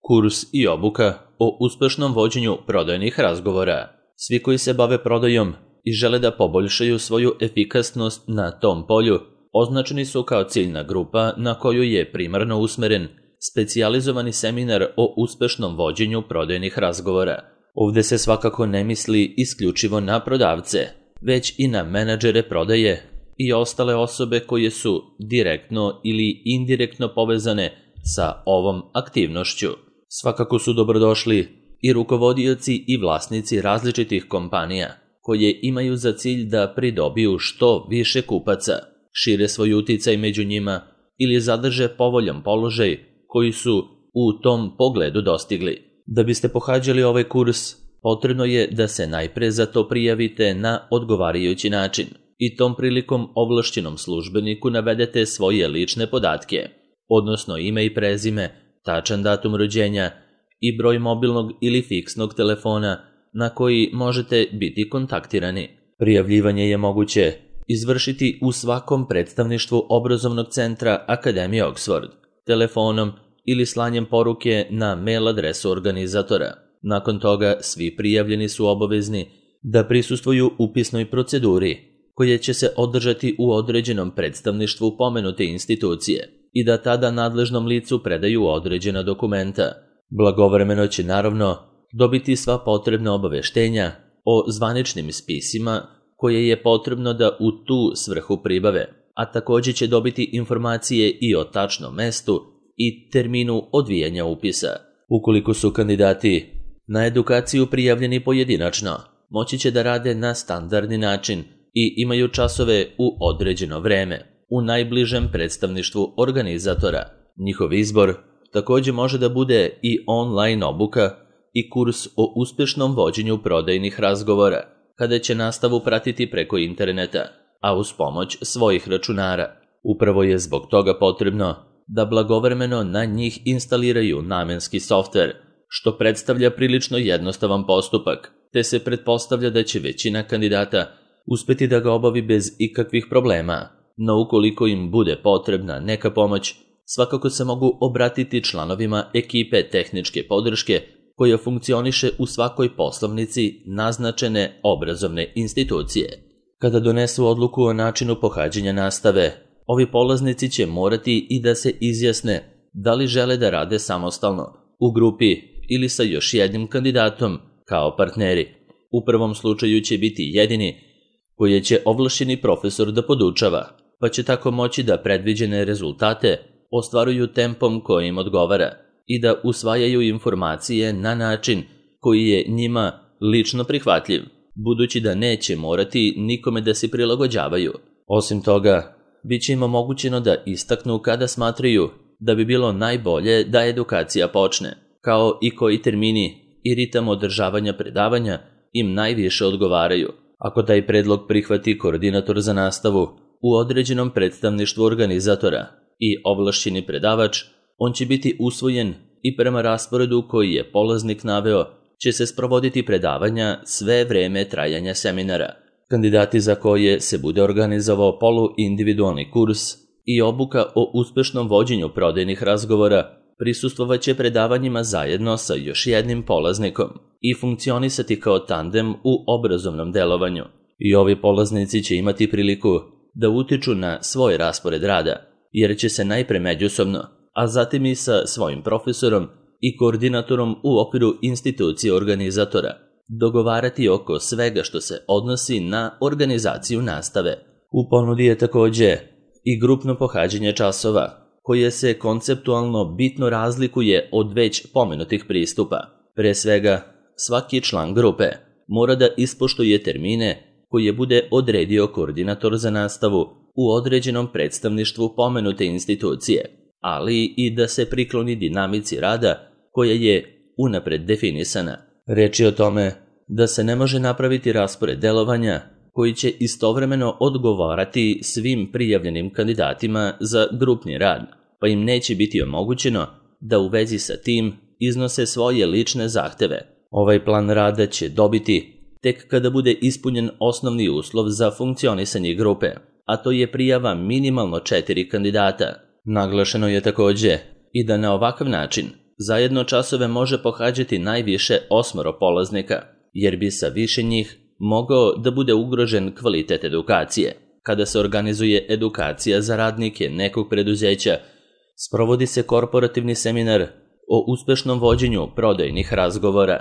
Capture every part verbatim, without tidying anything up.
Kurs i obuka o uspešnom vođenju prodajnih razgovora. Svi koji se bave prodajom i žele da poboljšaju svoju efikasnost na tom polju, označeni su kao ciljna grupa na koju je primarno usmeren specijalizovani seminar o uspešnom vođenju prodajnih razgovora. Ovde se svakako ne misli isključivo na prodavce, već i na menadžere prodaje i ostale osobe koje su direktno ili indirektno povezane sa ovom aktivnošću. Svakako su dobrodošli i rukovodioci i vlasnici različitih kompanija koje imaju za cilj da pridobiju što više kupaca, šire svoj uticaj među njima ili zadrže povoljan položaj koji su u tom pogledu dostigli. Da biste pohađali ovaj kurs, potrebno je da se najpre za to prijavite na odgovarajući način i tom prilikom ovlašćenom službeniku navedete svoje lične podatke, odnosno ime i prezime, tačan datum rođenja i broj mobilnog ili fiksnog telefona na koji možete biti kontaktirani. Prijavljivanje je moguće izvršiti u svakom predstavništvu obrazovnog centra Akademije Oxford, telefonom ili slanjem poruke na mail adresu organizatora. Nakon toga svi prijavljeni su obavezni da prisustvuju upisnoj proceduri koja će se održati u određenom predstavništvu pomenute institucije i da tada nadležnom licu predaju određena dokumenta. Blagovremeno će naravno dobiti sva potrebna obaveštenja o zvaničnim spisima koje je potrebno da u tu svrhu pribave, a također će dobiti informacije i o tačnom mestu i terminu odvijanja upisa. Ukoliko su kandidati na edukaciju prijavljeni pojedinačno, moći će da rade na standardni način i imaju časove u određeno vreme u najbližem predstavništvu organizatora. Njihov izbor također može da bude i online obuka i kurs o uspešnom vođenju prodajnih razgovora, kada će nastavu pratiti preko interneta, a uz pomoć svojih računara. Upravo je zbog toga potrebno da blagovremeno na njih instaliraju namenski softver, što predstavlja prilično jednostavan postupak, te se pretpostavlja da će većina kandidata uspeti da ga obavi bez ikakvih problema. No ukoliko im bude potrebna neka pomoć, svakako se mogu obratiti članovima ekipe tehničke podrške koja funkcioniše u svakoj poslovnici naznačene obrazovne institucije. Kada donesu odluku o načinu pohađanja nastave, ovi polaznici će morati i da se izjasne da li žele da rade samostalno, u grupi ili sa još jednim kandidatom kao partneri. U prvom slučaju će biti jedini koje će ovlašćeni profesor da podučava, pa će tako moći da predviđene rezultate ostvaruju tempom koji im odgovara i da usvajaju informacije na način koji je njima lično prihvatljiv, budući da neće morati nikome da se prilagođavaju. Osim toga, bit će im omogućeno da istaknu kada smatraju da bi bilo najbolje da edukacija počne, kao i koji termini i ritam održavanja predavanja im najviše odgovaraju. Ako taj predlog prihvati koordinator za nastavu u određenom predstavništvu organizatora i ovlašćeni predavač, on će biti usvojen i prema rasporedu koji je polaznik naveo će se sprovoditi predavanja sve vreme trajanja seminara. Kandidati za koje se bude organizovao poluindividualni kurs i obuka o uspešnom vođenju prodajnih razgovora prisustvovaće predavanjima zajedno sa još jednim polaznikom i funkcionisati kao tandem u obrazovnom delovanju. I ovi polaznici će imati priliku da utiču na svoj raspored rada, jer će se najpre međusobno, a zatim i sa svojim profesorom i koordinatorom u okviru institucije organizatora dogovarati oko svega što se odnosi na organizaciju nastave. U ponudi je također i grupno pohađanje časova, koje se konceptualno bitno razlikuje od već pomenutih pristupa. Pre svega, svaki član grupe mora da ispoštuje termine koje bude odredio koordinator za nastavu u određenom predstavništvu pomenute institucije, ali i da se prikloni dinamici rada koja je unapred definisana. Reč je o tome da se ne može napraviti raspored delovanja koji će istovremeno odgovarati svim prijavljenim kandidatima za grupni rad, pa im neće biti omogućeno da u vezi sa tim iznose svoje lične zahteve. Ovaj plan rada će dobiti tek kada bude ispunjen osnovni uslov za funkcionisanje grupe, a to je prijava minimalno četiri kandidata. Naglašeno je također i da na ovakav način Zajedno časove može pohađati najviše osmoro polaznika, jer bi sa više njih mogao da bude ugrožen kvalitet edukacije. Kada se organizuje edukacija za radnike nekog preduzeća, sprovodi se korporativni seminar o uspešnom vođenju prodajnih razgovora,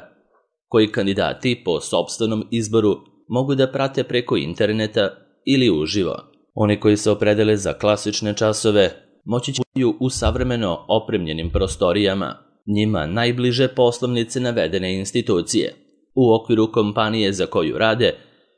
koji kandidati po sopstvenom izboru mogu da prate preko interneta ili uživo. Oni koji se opredele za klasične časove moći će u savremeno opremljenim prostorijama, njima najbliže poslovnice navedene institucije, u okviru kompanije za koju rade,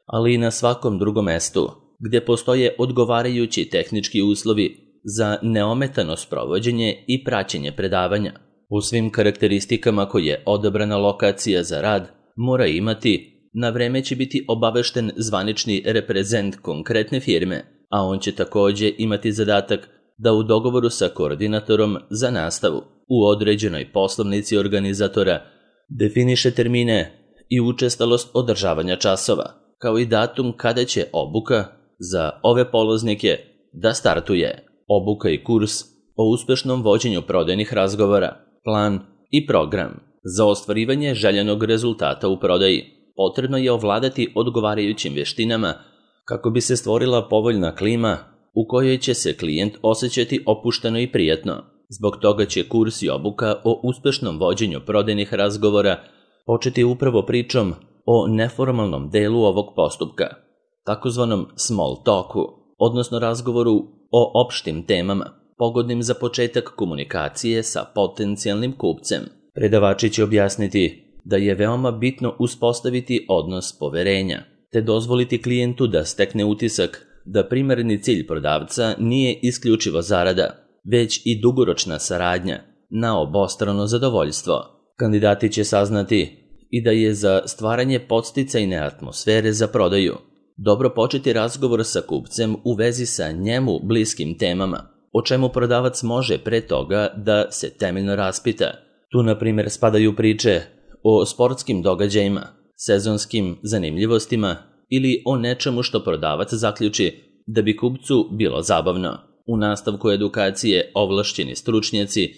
ali i na svakom drugom mestu, gdje postoje odgovarajući tehnički uslovi za neometano sprovođenje i praćenje predavanja. U svim karakteristikama koje odabrana lokacija za rad mora imati, na vreme će biti obavešten zvanični reprezent konkretne firme, a on će također imati zadatak da u dogovoru sa koordinatorom za nastavu u određenoj poslovnici organizatora definiše termine i učestalost održavanja časova, kao i datum kada će obuka za ove polaznike da startuje. Obuka i kurs o uspešnom vođenju prodajnih razgovora, plan i program. Za ostvarivanje željenog rezultata u prodaji potrebno je ovladati odgovarajućim vještinama kako bi se stvorila povoljna klima u kojoj će se klijent osjećati opušteno i prijatno. Zbog toga će kurs i obuka o uspešnom vođenju prodajnih razgovora početi upravo pričom o neformalnom delu ovog postupka, takozvanom small talku, odnosno razgovoru o opštim temama, pogodnim za početak komunikacije sa potencijalnim kupcem. Predavači će objasniti da je veoma bitno uspostaviti odnos poverenja, te dozvoliti klijentu da stekne utisak da primarni cilj prodavca nije isključivo zarada, već i dugoročna saradnja na obostrano zadovoljstvo. Kandidati će saznati i da je za stvaranje podsticajne atmosfere za prodaju dobro početi razgovor sa kupcem u vezi sa njemu bliskim temama, o čemu prodavac može pre toga da se temeljno raspita. Tu, na primjer, spadaju priče o sportskim događajima, sezonskim zanimljivostima ili o nečemu što prodavac zaključi da bi kupcu bilo zabavno. U nastavku edukacije ovlašćeni stručnjaci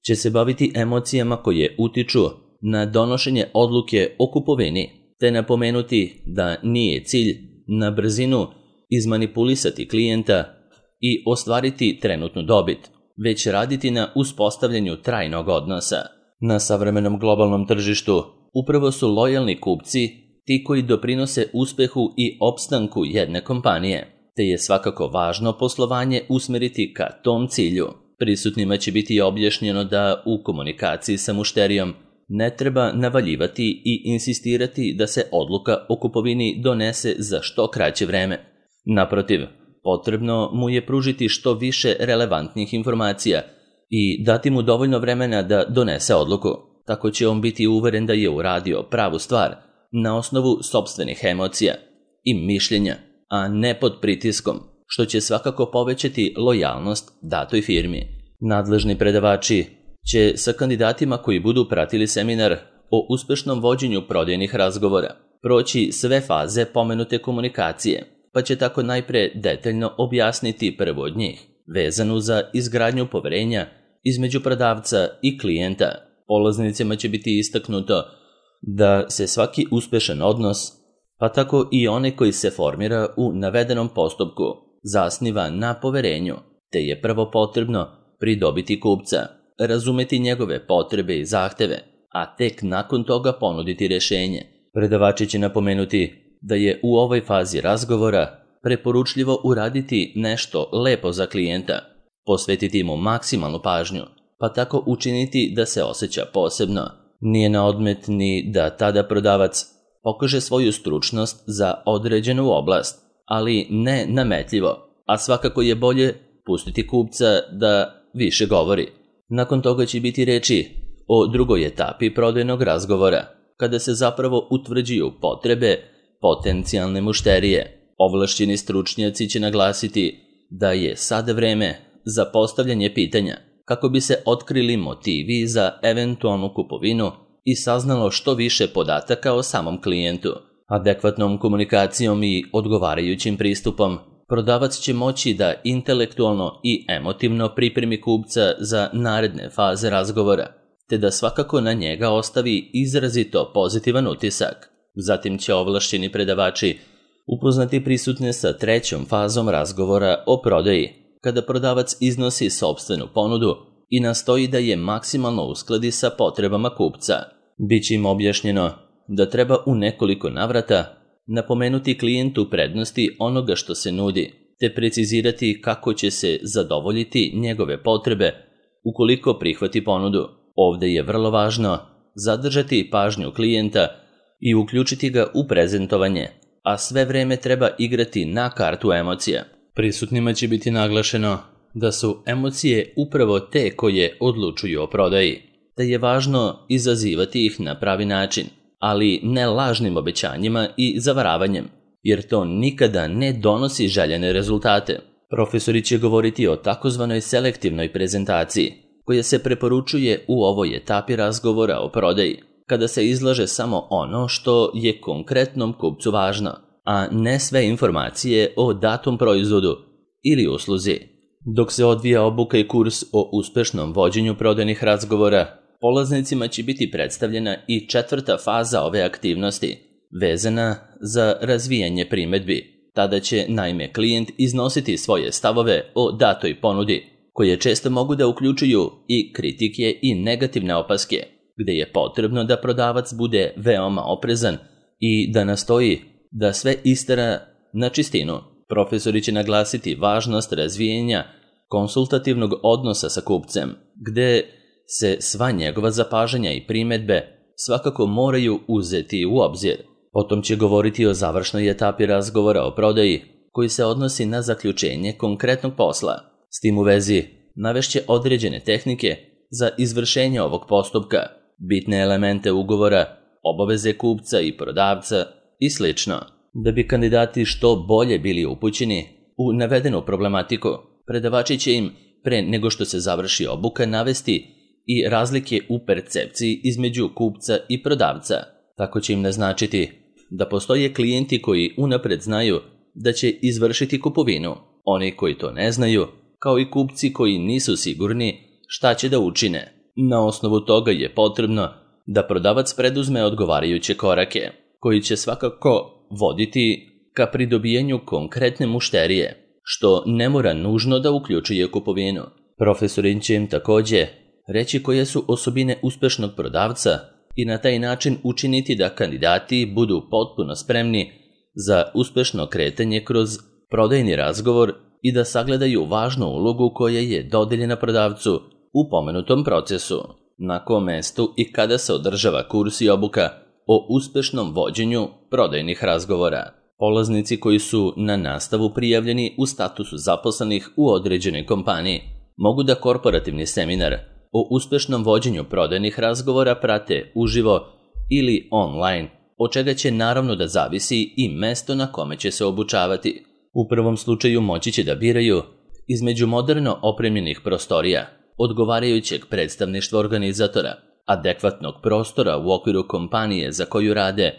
će se baviti emocijama koje utiču na donošenje odluke o kupovini, te napomenuti da nije cilj na brzinu izmanipulisati klijenta i ostvariti trenutnu dobit, već raditi na uspostavljanju trajnog odnosa. Na savremenom globalnom tržištu upravo su lojalni kupci ti koji doprinose uspehu i opstanku jedne kompanije, te je svakako važno poslovanje usmeriti ka tom cilju. Prisutnima će biti objašnjeno da u komunikaciji sa mušterijom ne treba navaljivati i insistirati da se odluka o kupovini donese za što kraće vreme. Naprotiv, potrebno mu je pružiti što više relevantnih informacija i dati mu dovoljno vremena da donese odluku. Tako će on biti uveren da je uradio pravu stvar na osnovu sopstvenih emocija i mišljenja, a ne pod pritiskom, što će svakako povećati lojalnost datoj firmi. Nadležni predavači će sa kandidatima koji budu pratili seminar o uspešnom vođenju prodajnih razgovora proći sve faze pomenute komunikacije, pa će tako najpre detaljno objasniti prvo od njih, vezanu za izgradnju poverenja između prodavca i klijenta. Polaznicima će biti istaknuto da se svaki uspešan odnos, pa tako i onaj koji se formira u navedenom postupku, zasniva na poverenju, te je prvo potrebno pridobiti kupca, razumeti njegove potrebe i zahteve, a tek nakon toga ponuditi rješenje. Predavači će napomenuti da je u ovoj fazi razgovora preporučljivo uraditi nešto lepo za klijenta, posvetiti mu maksimalnu pažnju, pa tako učiniti da se osjeća posebno. Nije na odmet ni da tada prodavac pokaže svoju stručnost za određenu oblast, ali ne nametljivo, a svakako je bolje pustiti kupca da više govori. Nakon toga će biti reči o drugoj etapi prodajnog razgovora, kada se zapravo utvrđuju potrebe potencijalne mušterije. Ovlašćeni stručnjaci će naglasiti da je sad vreme za postavljanje pitanja kako bi se otkrili motivi za eventualnu kupovinu i saznalo što više podataka o samom klijentu. Adekvatnom komunikacijom i odgovarajućim pristupom prodavac će moći da intelektualno i emotivno pripremi kupca za naredne faze razgovora. te da svakako na njega ostavi izrazito pozitivan utisak. Zatim će ovlašćeni predavači upoznati prisutne sa trećom fazom razgovora o prodaji, kada prodavac iznosi sopstvenu ponudu i nastoji da je maksimalno uskladi sa potrebama kupca. Biće im objašnjeno da treba u nekoliko navrata napomenuti klijentu prednosti onoga što se nudi, te precizirati kako će se zadovoljiti njegove potrebe ukoliko prihvati ponudu. Ovde je vrlo važno zadržati pažnju klijenta i uključiti ga u prezentovanje, a sve vreme treba igrati na kartu emocija. Prisutnima će biti naglašeno da su emocije upravo te koje odlučuju o prodaji, te je važno izazivati ih na pravi način, ali ne lažnim obećanjima i zavaravanjem, jer to nikada ne donosi željene rezultate. Profesori će govoriti o takozvanoj selektivnoj prezentaciji, koja se preporučuje u ovoj etapi razgovora o prodaji, kada se izlaže samo ono što je konkretnom kupcu važno, a ne sve informacije o datom proizvodu ili usluzi. Dok se odvija obuka i kurs o uspešnom vođenju prodajnih razgovora, polaznicima će biti predstavljena i četvrta faza ove aktivnosti, vezana za razvijanje primedbi. Tada će, naime, klijent iznositi svoje stavove o datoj ponudi, koje često mogu da uključuju i kritike i negativne opaske, gde je potrebno da prodavac bude veoma oprezan i da nastoji da sve istera na čistinu. Profesori će naglasiti važnost razvijenja konsultativnog odnosa sa kupcem, gde se sva njegova zapažanja i primedbe svakako moraju uzeti u obzir. Potom će govoriti o završnoj etapi razgovora o prodaji, koji se odnosi na zaključenje konkretnog posla. S tim u vezi navešće određene tehnike za izvršenje ovog postupka, bitne elemente ugovora, obaveze kupca i prodavca i sl. Da bi kandidati što bolje bili upućeni u navedenu problematiku, predavači će im, pre nego što se završi obuka, navesti i razlike u percepciji između kupca i prodavca. Tako će im naznačiti da postoje klijenti koji unapred znaju da će izvršiti kupovinu, oni koji to ne znaju, kao i kupci koji nisu sigurni šta će da učine. Na osnovu toga je potrebno da prodavac preduzme odgovarajuće korake, koji će svakako voditi ka pridobijanju konkretne mušterije, što ne mora nužno da uključuje kupovinu. Profesorin će im takođe reći koje su osobine uspešnog prodavca i na taj način učiniti da kandidati budu potpuno spremni za uspešno kretanje kroz prodajni razgovor i da sagledaju važnu ulogu koja je dodeljena prodavcu u pomenutom procesu. Na kom mestu i kada se održava kurs i obuka o uspešnom vođenju prodajnih razgovora. Polaznici koji su na nastavu prijavljeni u statusu zaposlenih u određenoj kompaniji mogu da korporativni seminar o uspešnom vođenju prodajnih razgovora prate uživo ili online, od čega će naravno da zavisi i mesto na kome će se obučavati. U prvom slučaju moći će da biraju između moderno opremljenih prostorija, odgovarajućeg predstavništva organizatora, adekvatnog prostora u okviru kompanije za koju rade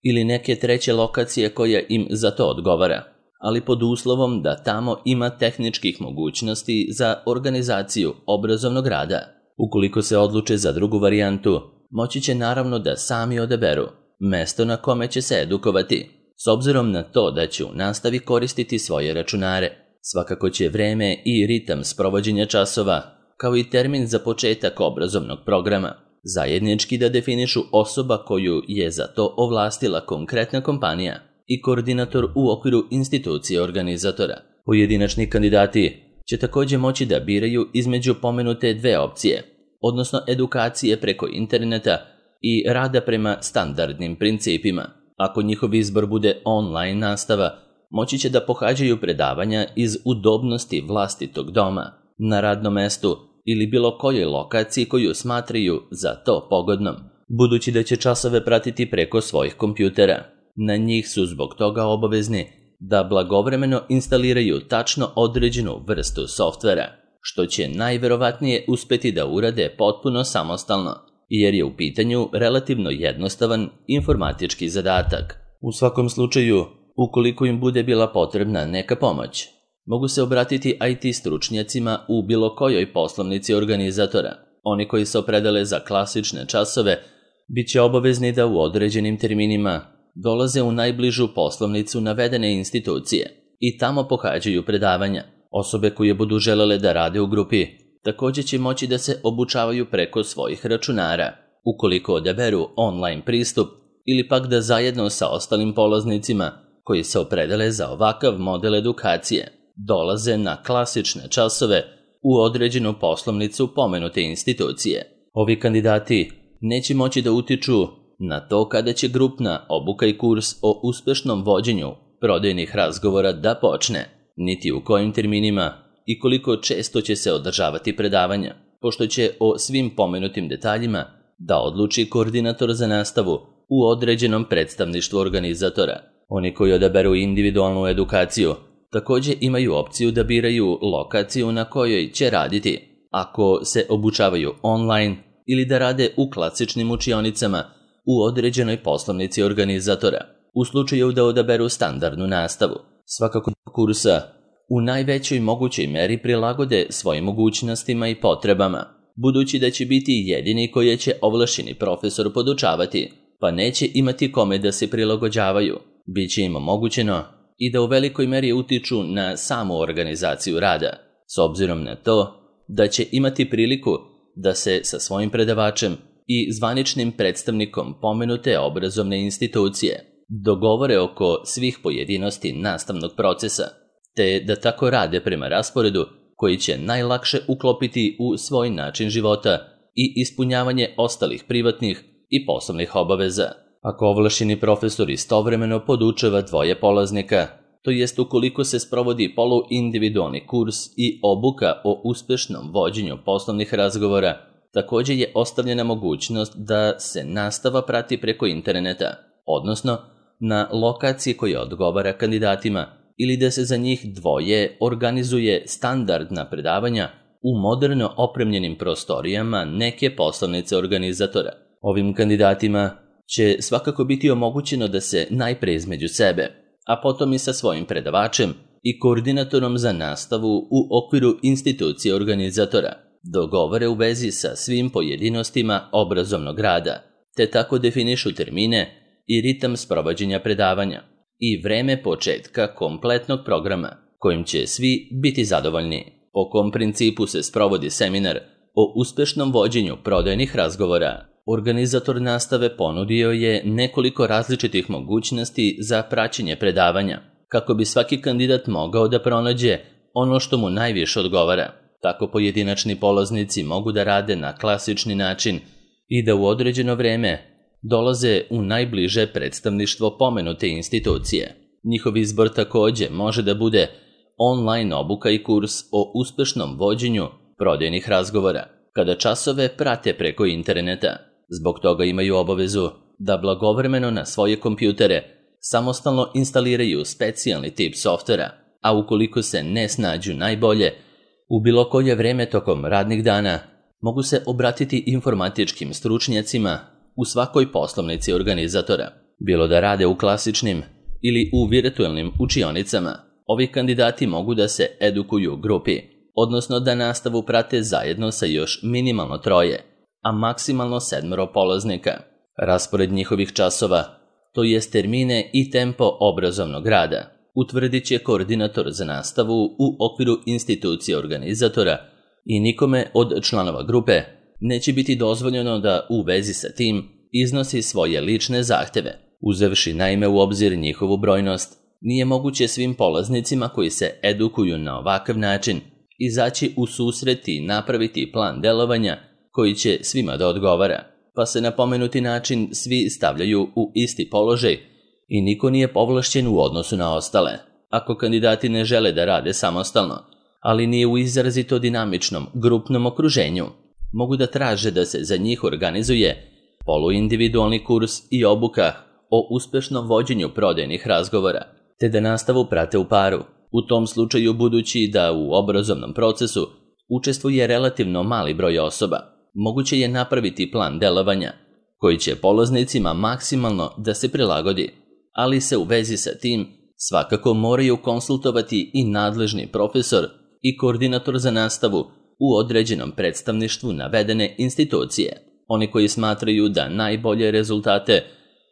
ili neke treće lokacije koja im za to odgovara, ali pod uslovom da tamo ima tehničkih mogućnosti za organizaciju obrazovnog rada. Ukoliko se odluče za drugu varijantu, moći će naravno da sami odaberu mesto na kome će se edukovati, s obzirom na to da će u nastavi koristiti svoje računare. Svakako će vreme i ritam sprovođenja časova, kao i termin za početak obrazovnog programa, zajednički da definišu osoba koju je za to ovlastila konkretna kompanija i koordinator u okviru institucije organizatora. Pojedinačni kandidati će takođe moći da biraju između pomenute dve opcije, odnosno edukacije preko interneta i rada prema standardnim principima. Ako njihov izbor bude online nastava, moći će da pohađaju predavanja iz udobnosti vlastitog doma, na radnom mestu ili bilo kojoj lokaciji koju smatraju za to pogodnom, budući da će časove pratiti preko svojih kompjutera. Na njih su zbog toga obavezni da blagovremeno instaliraju tačno određenu vrstu softvera, što će najverovatnije uspeti da urade potpuno samostalno, jer je u pitanju relativno jednostavan informatički zadatak. U svakom slučaju, ukoliko im bude bila potrebna neka pomoć, mogu se obratiti I T stručnjacima u bilo kojoj poslovnici organizatora, Oni koji se opredele za klasične časove bit će obavezni da u određenim terminima dolaze u najbližu poslovnicu navedene institucije i tamo pohađaju predavanja. Osobe koje budu želele da rade u grupi također će moći da se obučavaju preko svojih računara, ukoliko odaberu online pristup ili pak da zajedno sa ostalim polaznicima koji se opredele za ovakav model edukacije dolaze na klasične časove u određenu poslovnicu pomenute institucije. Ovi kandidati neće moći da utiču na to kada će grupna obuka i kurs o uspešnom vođenju prodajnih razgovora da počne, niti u kojim terminima i koliko često će se održavati predavanja, pošto će o svim pomenutim detaljima da odluči koordinator za nastavu u određenom predstavništvu organizatora. Oni koji odaberu individualnu edukaciju također imaju opciju da biraju lokaciju na kojoj će raditi, ako se obučavaju online ili da rade u klasičnim učionicama u određenoj poslovnici organizatora. U slučaju da odaberu standardnu nastavu, svakako kursa u najvećoj mogućoj meri prilagode svojim mogućnostima i potrebama, budući da će biti jedini koji će ovlašćeni profesor podučavati, pa neće imati kome da se prilagođavaju. Biće im omogućeno i da u velikoj meri utiču na samu organizaciju rada, s obzirom na to da će imati priliku da se sa svojim predavačem i zvaničnim predstavnikom pomenute obrazovne institucije dogovore oko svih pojedinosti nastavnog procesa, te da tako rade prema rasporedu koji će najlakše uklopiti u svoj način života i ispunjavanje ostalih privatnih i poslovnih obaveza. Ako ovlašćeni profesor istovremeno podučava dvoje polaznika, to jest ukoliko se sprovodi poluindividualni kurs i obuka o uspešnom vođenju poslovnih razgovora, također je ostavljena mogućnost da se nastava prati preko interneta, odnosno na lokaciji koja odgovara kandidatima, ili da se za njih dvoje organizuje standardna predavanja u moderno opremljenim prostorijama neke poslovnice organizatora. Ovim kandidatima će svakako biti omogućeno da se najpre između sebe, a potom i sa svojim predavačem i koordinatorom za nastavu u okviru institucije organizatora dogovore u vezi sa svim pojedinostima obrazovnog rada, te tako definišu termine i ritam sprovođenja predavanja i vreme početka kompletnog programa, kojim će svi biti zadovoljni. Po kom principu se sprovodi seminar o uspešnom vođenju prodajnih razgovora? Organizator nastave ponudio je nekoliko različitih mogućnosti za praćenje predavanja, kako bi svaki kandidat mogao da pronađe ono što mu najviše odgovara. Tako pojedinačni polaznici mogu da rade na klasični način i da u određeno vreme dolaze u najbliže predstavništvo pomenute institucije. Njihov izbor također može da bude online obuka i kurs o uspešnom vođenju prodajnih razgovora, kada časove prate preko interneta. Zbog toga imaju obavezu da blagovremeno na svoje kompjutere samostalno instaliraju specijalni tip softvera, a ukoliko se ne snađu najbolje, u bilo koje vreme tokom radnih dana mogu se obratiti informatičkim stručnjacima u svakoj poslovnici organizatora. Bilo da rade u klasičnim ili u virtualnim učionicama, ovi kandidati mogu da se edukuju u grupi, odnosno da nastavu prate zajedno sa još minimalno troje, a maksimalno sedmero polaznika. Raspored njihovih časova, to jest termine i tempo obrazovnog rada, utvrdit će koordinator za nastavu u okviru institucije organizatora i nikome od članova grupe neće biti dozvoljeno da u vezi sa tim iznosi svoje lične zahteve. Uzevši naime u obzir njihovu brojnost, nije moguće svim polaznicima koji se edukuju na ovakav način izaći u susret i napraviti plan delovanja koji će svima da odgovara, pa se na pomenuti način svi stavljaju u isti položaj i niko nije povlašćen u odnosu na ostale. Ako kandidati ne žele da rade samostalno, ali nije u izrazito dinamičnom grupnom okruženju, mogu da traže da se za njih organizuje poluindividualni kurs i obuka o uspešnom vođenju prodajnih razgovora, te da nastavu prate u paru. U tom slučaju, budući da u obrazovnom procesu učestvuje relativno mali broj osoba, moguće je napraviti plan delovanja koji će polaznicima maksimalno da se prilagodi, ali se u vezi sa tim svakako moraju konsultovati i nadležni profesor i koordinator za nastavu u određenom predstavništvu navedene institucije. Oni koji smatraju da najbolje rezultate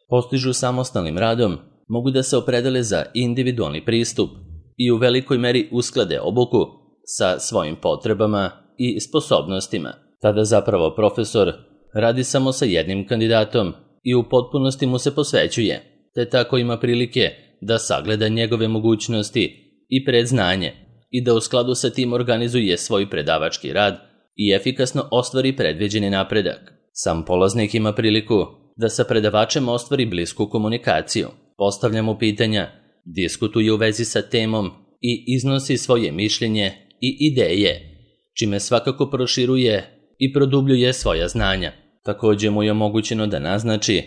postižu samostalnim radom mogu da se opredele za individualni pristup i u velikoj meri usklade obuku sa svojim potrebama i sposobnostima. Tada zapravo profesor radi samo sa jednim kandidatom i u potpunosti mu se posvećuje, te tako ima prilike da sagleda njegove mogućnosti i predznanje i da u skladu sa tim organizuje svoj predavački rad i efikasno ostvari predviđeni napredak. Sam polaznik ima priliku da sa predavačem ostvari blisku komunikaciju, postavlja mu pitanja, diskutuje u vezi sa temom i iznosi svoje mišljenje i ideje, čime svakako proširuje i produbljuje svoja znanja. Također mu je omogućeno da naznači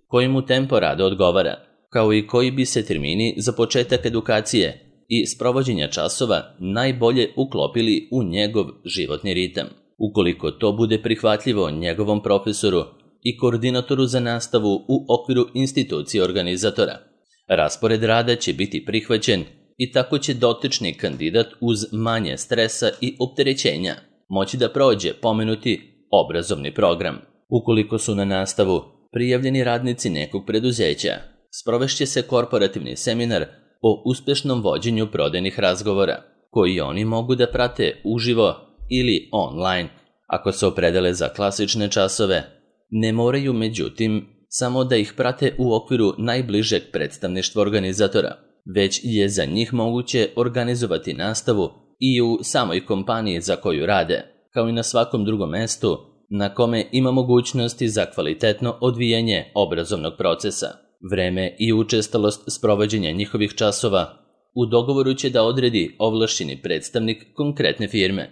koji mu tempo rada odgovara, kao i koji bi se termini za početak edukacije i sprovođenja časova najbolje uklopili u njegov životni ritam. Ukoliko to bude prihvatljivo njegovom profesoru i koordinatoru za nastavu u okviru institucije organizatora, raspored rada će biti prihvaćen i tako će dotični kandidat uz manje stresa i opterećenja moći da prođe pomenuti obrazovni program. Ukoliko su na nastavu prijavljeni radnici nekog preduzeća, sprovešće se korporativni seminar o uspešnom vođenju prodajnih razgovora, koji oni mogu da prate uživo ili online. Ako se opredele za klasične časove, ne moraju međutim samo da ih prate u okviru najbližeg predstavništva organizatora, već je za njih moguće organizovati nastavu i u samoj kompaniji za koju rade, kao i na svakom drugom mestu na kome ima mogućnosti za kvalitetno odvijanje obrazovnog procesa. Vreme i učestalost sprovođenja njihovih časova u dogovoru će da odredi ovlašćeni predstavnik konkretne firme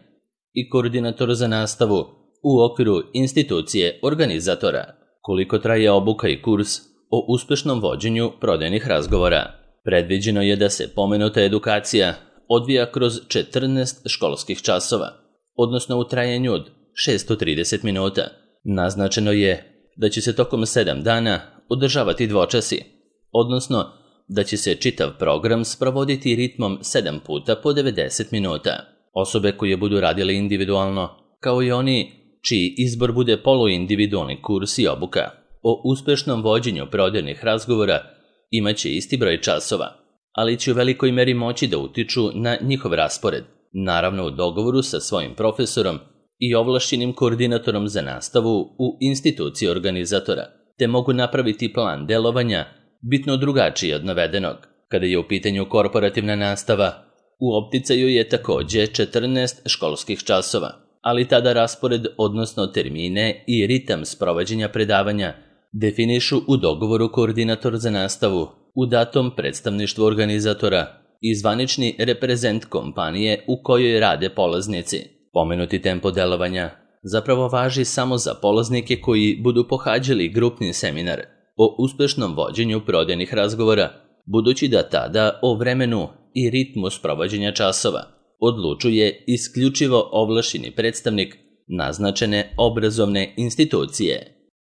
i koordinator za nastavu u okviru institucije organizatora. Koliko traje obuka i kurs o uspešnom vođenju prodajnih razgovora? Predviđeno je da se pomenuta edukacija odvija kroz četrnaest školskih časova, odnosno u trajanju od šessto trideset minuta. Naznačeno je da će se tokom sedam dana održavati dvočasi, odnosno da će se čitav program sprovoditi ritmom sedam puta po devedeset minuta. Osobe koje budu radile individualno, kao i oni čiji izbor bude poluindividualni kurs i obuka o uspešnom vođenju prodajnih razgovora, imaće isti broj časova, ali će u velikoj meri moći da utiču na njihov raspored, naravno u dogovoru sa svojim profesorom i ovlašćenim koordinatorom za nastavu u instituciji organizatora, te mogu napraviti plan delovanja bitno drugačiji od navedenog. Kada je u pitanju korporativna nastava, u opticaju je također četrnaest školskih časova, ali tada raspored, odnosno termine i ritam sprovođenja predavanja definišu u dogovoru koordinator za nastavu u datom predstavništvu organizatora i zvanični reprezent kompanije u kojoj rade polaznici. Pomenuti tempo delovanja zapravo važi samo za polaznike koji budu pohađali grupni seminar o uspešnom vođenju prodajnih razgovora, budući da tada o vremenu i ritmu sprovođenja časova odlučuje isključivo ovlašćeni predstavnik naznačene obrazovne institucije.